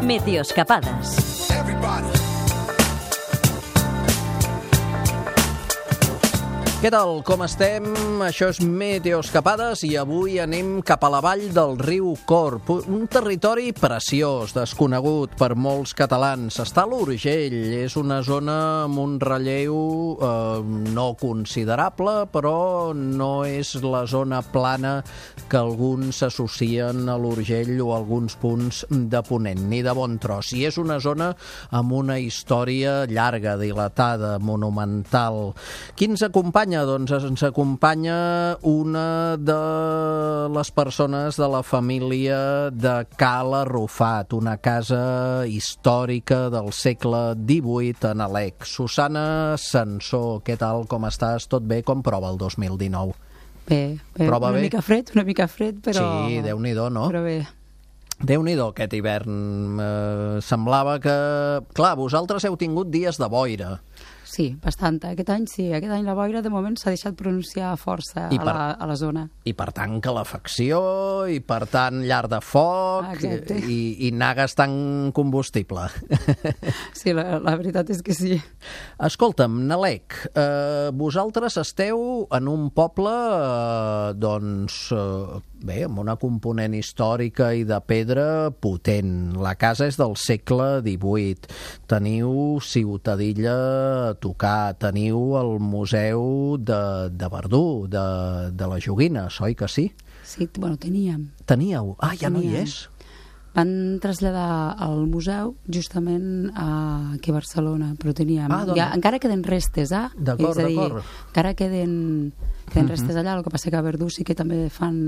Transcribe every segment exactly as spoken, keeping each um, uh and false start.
Meteoscapades. Què tal, com estem? Això és Meteoscapades i avui anem cap a la vall del riu Corb, un territori preciós, desconegut per molts catalans. Està a l'Urgell, és una zona amb un relleu eh, no considerable, però no és la zona plana que alguns associen a l'Urgell o a alguns punts de Ponent, ni de bon tros. I és una zona amb una història llarga, dilatada, monumental. Qui ens acompanya? Doncs ens acompanya una de les persones de la família de Cala Arrufat, una casa històrica del segle divuit a Nalec. Susana Sansó, què tal, com estàs? Tot bé? Com prova el dos mil dinou? Bé, bé. Prova una bé? mica fred, una mica fred, però... Sí, Déu-n'hi-do, no? Però bé. Déu-n'hi-do aquest hivern. Eh, semblava que... Clar, vosaltres heu tingut dies de boira. Sí, bastant. Aquest any sí. Aquest any la boira, de moment, s'ha deixat pronunciar força I a, per- la, a la zona. I per tant calefacció, i per tant llar de foc, Ah, exacte. i, i anar gastant combustible. Sí, la, la veritat és que sí. Escolta'm, Nalec, eh, vosaltres esteu en un poble, eh, doncs, eh, bé, amb una component històrica i de pedra potent. La casa és del segle divuit. Teniu Ciutadilla a tocar, teniu el museu de, de Verdú, de, de la joguina, oi que sí? Sí, bueno, teníem. Teníeu? Ah, ja no hi Teníem. és? Van traslladar el museu justament a, aquí a Barcelona, però teníem... Ah, doncs- ja, encara queden restes, eh? D'acord, És a dir, d'acord. encara queden, queden restes allà, el que passa que a Verdú sí que també fan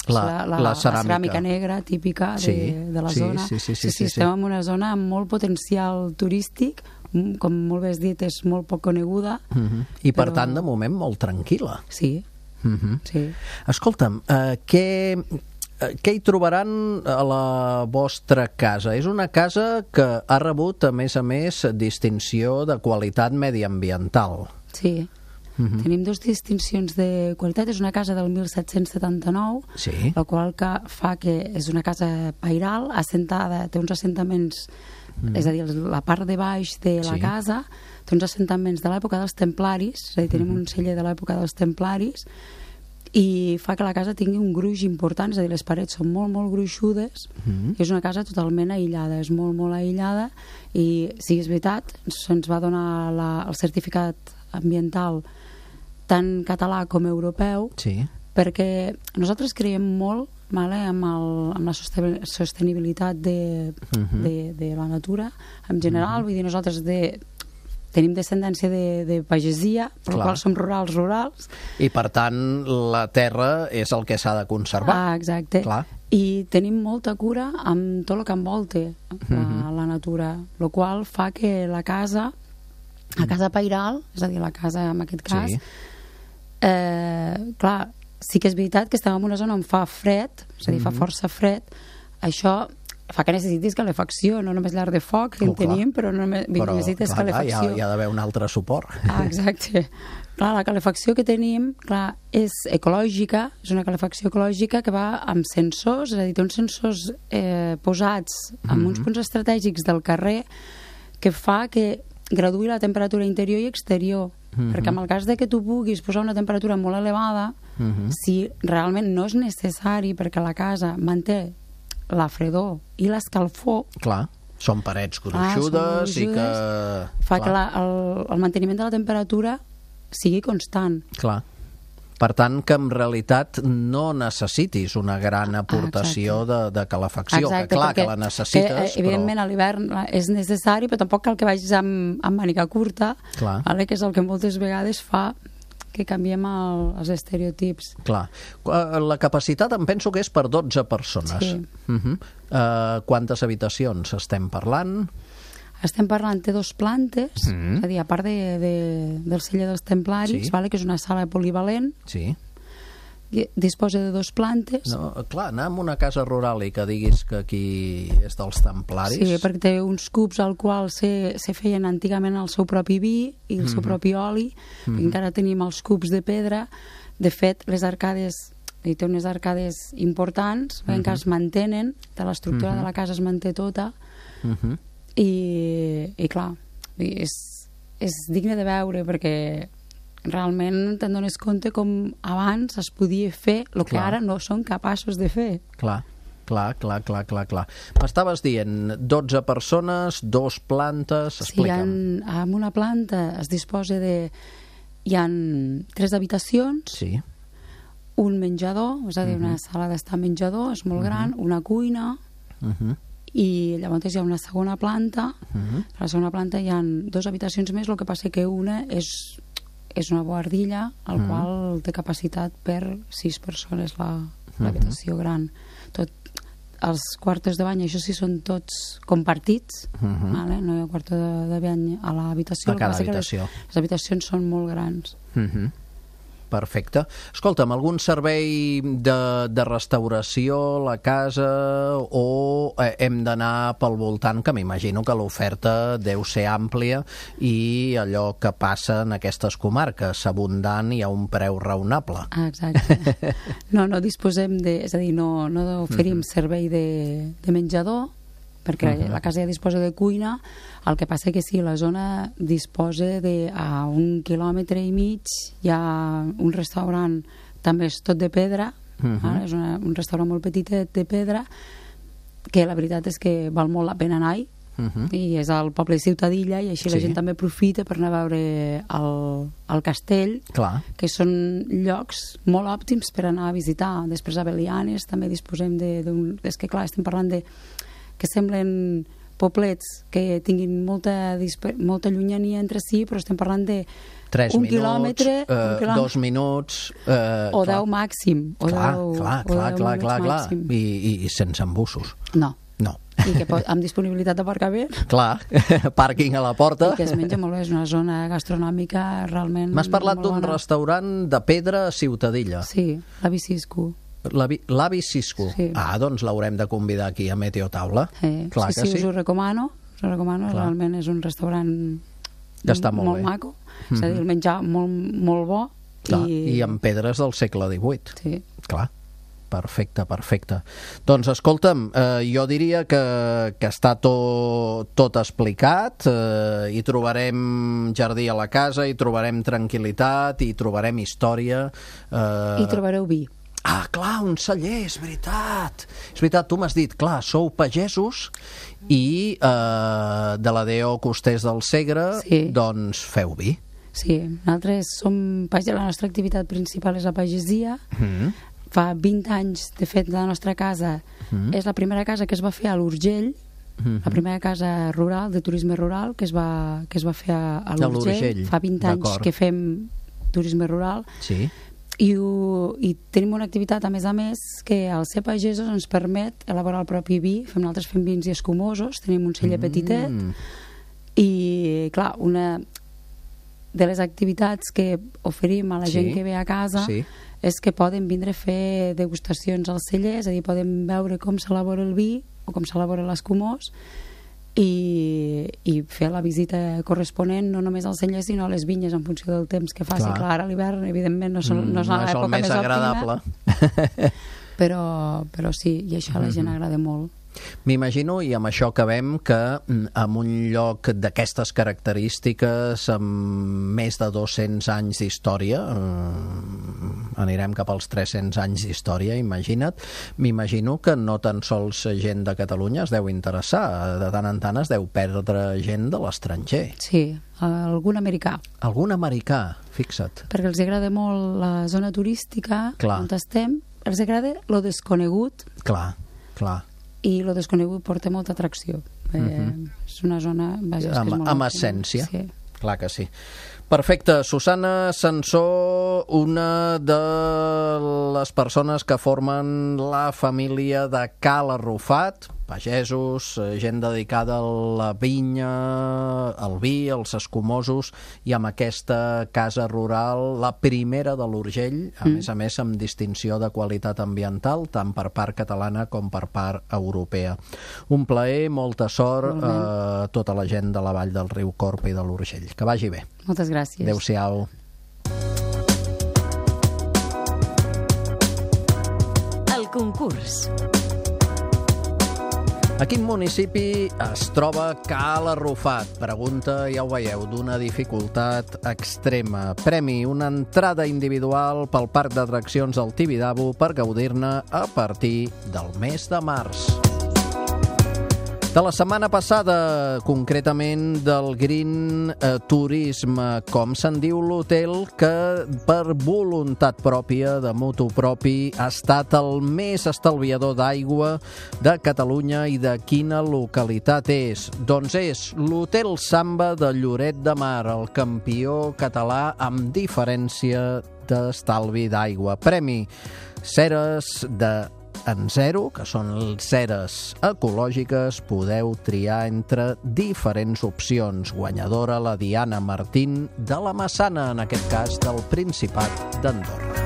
La- la, la ceràmica. la ceràmica negra típica de, Sí, de la sí, zona. sí, sí, sí, sí, sí, sí. estem en una zona amb molt potencial turístic, mm, com molt bé has dit, és molt poc coneguda. Mhm. I per Però- tant, de moment, molt tranquil·la. Sí, Mhm. sí. Escolta'm, eh, què, eh, què hi trobaran a la vostra casa? És una casa que ha rebut, a més a més, distinció de qualitat mediambiental. Sí. Mhm. Tenim dues distincions de qualitat. És una casa del disset setanta-nou, Sí. la qual que fa que és una casa pairal, assentada, té uns assentaments, mm. és a dir, la part de baix de la Sí. casa té uns assentaments de l'època dels templaris, és a dir, tenim Mhm. un celler de l'època dels templaris, i fa que la casa tingui un gruix important, és a dir, les parets són molt, molt gruixudes, Mhm. i és una casa totalment aïllada, és molt, molt aïllada, i sí, és veritat, se'ns va donar la, el certificat ambiental tant català com europeu, Sí. perquè nosaltres creiem molt, vale, amb, el, amb la soste- sostenibilitat de, Mhm. de, de la natura en general, vull dir, nosaltres de, tenim descendència de, de pagesia, per Clar. la qual som rurals, rurals. I per tant, la terra és el que s'ha de conservar. Ah, exacte. Clar. I tenim molta cura amb tot el que envolta la, Mhm. la natura, el qual fa que la casa, la casa pairal, és a dir, la casa en aquest cas, Sí. eh, clar, sí que és veritat que estem en una zona on fa fred, és a dir, fa Mhm. força fred, això fa que necessitis calefacció, no només llar de foc, que Oh, en clar. tenim, però, no només, Però, necessites clar, clar, hi ha, calefacció. hi ha d'haver un altre suport. Ah, exacte. Clar, la calefacció que tenim, clar, és ecològica, és una calefacció ecològica que va amb sensors, és a dir, té uns sensors eh, posats en Mhm. uns punts estratègics del carrer que fa que graduï la temperatura interior i exterior, Mhm. perquè en el cas de que tu puguis posar una temperatura molt elevada, Mhm. si realment no és necessari perquè la casa manté la fredor i l'escalfor, Clar, són parets Clar, són gruixudes i que... gruixudes, fa clar, que la, el, el manteniment de la temperatura sigui constant. Clar. Per tant, que en realitat no necessitis una gran aportació de, de calefacció. Exacte, que clar, perquè, que la necessites, que, eh, evidentment, però... a l'hivern és necessari, però tampoc cal que vagis amb, amb màniga curta, Clar. vale? Que és el que moltes vegades fa que canviem el, els estereotips. Clar. Eh, La capacitat em penso que és per dotze persones. Sí. Uh-huh. Uh, quantes habitacions estem parlant? Estem parlant de dos plantes, Mhm. és a dir, a part de, de, del celler dels templaris, Sí. vale? Que és una sala polivalent, Sí. i disposa de dos plantes. No, clar, anar a una casa rural i que diguis que aquí és dels templaris... Sí, perquè té uns cubs al qual se, se feien antigament el seu propi vi i el seu propi oli, Mhm. i encara tenim els cubs de pedra. De fet, les arcades, i té unes arcades importants, uh -huh. que es mantenen, de l'estructura uh -huh. de la casa es manté tota, Uh-huh. I, i clar, és, és digne de veure perquè realment te'n dones compte com abans es podia fer el que Clar. ara no són capaços de fer. Clar, clar, clar, clar, clar, clar. M'estaves dient dotze persones, dos plantes, Sí, hi ha, explica'm. en una planta es disposa de... Hi ha tres habitacions, Sí. un menjador, és a dir, una Mhm. sala d'estar menjador, és molt gran, una cuina, Uh-huh. i llavors hi ha una segona planta. Uh-huh. A la segona planta hi ha dues habitacions més, el que passa que una és, és una boardilla, al Mhm. qual té capacitat per sis persones la, l'habitació gran. Tot, els quartos de bany, això sí, són tots compartits, Mhm. vale? No hi ha quarto de, de bany a l'habitació. A El que cada passa que habitació. Les, les habitacions són molt grans. Uh-huh. Perfecte. Escolta'm, algun servei de, de restauració a la casa o eh, hem d'anar pel voltant, que m'imagino que l'oferta deu ser àmplia i allò que passa en aquestes comarques, abundant i a un preu raonable. Ah, exacte. No, no disposem de... És a dir, no, no oferim servei de, de menjador, perquè Mhm. la casa ja disposa de cuina, el que passa que sí, la zona disposa de a un quilòmetre i mig hi ha un restaurant, també és tot de pedra, Mhm. vale? És una, un restaurant molt petitet de pedra, que la veritat és que val molt la pena anar-hi, Uh-huh. i és al poble de Ciutadilla, i així Sí. la gent també aprofita per anar a veure el, el castell, Clar. que són llocs molt òptims per anar a visitar. Després a Belianes també disposem de, d'un... És que clar, estem parlant de que semblen poblets que tinguin molta, disper... molta llunyania entre si, però estem parlant de Tres un minuts, quilòmetre, eh, un quilòmetre dos minuts... Eh, o clar. deu màxim. O Clar, deu, clar, o clar, deu clar, minuts clar, clar. màxim. I, i, I sense embussos. No. No. I que pot, amb disponibilitat d'aparcament, Clar, pàrquing a la porta. i que es menja molt bé, és una zona gastronòmica realment... M'has parlat molt d'un bona. restaurant de pedra a Ciutadilla. Sí, l'avi Cisco. L'avi l'avi Cisco. Sí. Ah, doncs l'haurem de convidar aquí a Meteo Taula. Eh, Clar sí, que sí, sí. us ho recomano, us ho recomano, Clar. realment és un restaurant Que està molt molt bé. maco, és a dir, el menjar molt, molt bo. Clar, i... I amb pedres del segle divuit. Sí. Clar. Perfecte, perfecte. Doncs escolta'm, eh, jo diria que, que està tot, tot explicat, eh, hi trobarem jardí a la casa, hi trobarem tranquil·litat, hi trobarem història. Eh... I trobareu vi. Ah, clar, un celler, és veritat. És veritat, tu m'has dit, clar, sou pagesos i eh, de la D O Costers del Segre, Sí. doncs feu vi. Sí, nosaltres som page... la nostra activitat principal és la pagesia. Mm. Fa vint anys, de fet, la nostra casa Mm. és la primera casa que es va fer a l'Urgell, Mm. la primera casa rural, de turisme rural, que es va, que es va fer a, a l'Urgell. l'Urgell, Fa vint anys d'acord. que fem turisme rural. Sí. I, ho, i tenim una activitat, a més a més, que al ser pagesos ens permet elaborar el propi vi. Fem, nosaltres fem vins i escumosos, tenim un celler petitet, Mm. i clar, una de les activitats que oferim a la Sí, gent que ve a casa sí. és que poden vindre a fer degustacions al celler, és a dir, poden veure com s'elabora el vi o com s'elabora l'escumós, i, i fer la visita corresponent no només al celler sinó a les vinyes en funció del temps que faci. Clar. Clar, ara a l'hivern evidentment no, són, no és no és el l'època més més agradable. òptima, però, però sí, i això a la gent Mhm. agrada molt. M'imagino, i amb això acabem, que mm, en un lloc d'aquestes característiques, amb més de dos-cents anys d'història, eh, anirem cap als tres-cents anys d'història, imagina't, m'imagino que no tan sols gent de Catalunya es deu interessar, de tant en tant es deu perdre gent de l'estranger. Sí, algun americà, Algun americà, fixa't. perquè els agrada molt la zona turística Clar. on estem, els agrada lo desconegut, Clar, clar. i lo desconegut porta molta atracció. Eh, Mhm. És una zona... Vaja, és que Amb, és molt amb òptima. essència. Sí. Clar que sí. Perfecte. Susana Sansó, una de les persones que formen la família de Cal Arrufat, pagesos, eh, gent dedicada a la vinya, al vi, als escumosos, i amb aquesta casa rural, la primera de l'Urgell, a Mm. més a més amb distinció de qualitat ambiental, tant per part catalana com per part europea. Un plaer, molta sort a eh, tota la gent de la vall del riu Corb i de l'Urgell. Que vagi bé. Moltes gràcies. Adéu-siau. El concurs. A quin municipi es troba Cal Arrufat? Pregunta, ja ho veieu, d'una dificultat extrema. Premi, una entrada individual pel parc d'atraccions del Tibidabo per gaudir-ne a partir del mes de març. De la setmana passada, concretament del Green eh, Turisme, com se'n diu l'hotel que per voluntat pròpia, de motu propi, ha estat el més estalviador d'aigua de Catalunya i de quina localitat és? Doncs és l'Hotel Samba de Lloret de Mar, el campió català amb diferència d'estalvi d'aigua. Premi, ceres de en zero, que són ceres ecològiques, podeu triar entre diferents opcions. Guanyadora la Diana Martín de la Massana, en aquest cas del Principat d'Andorra.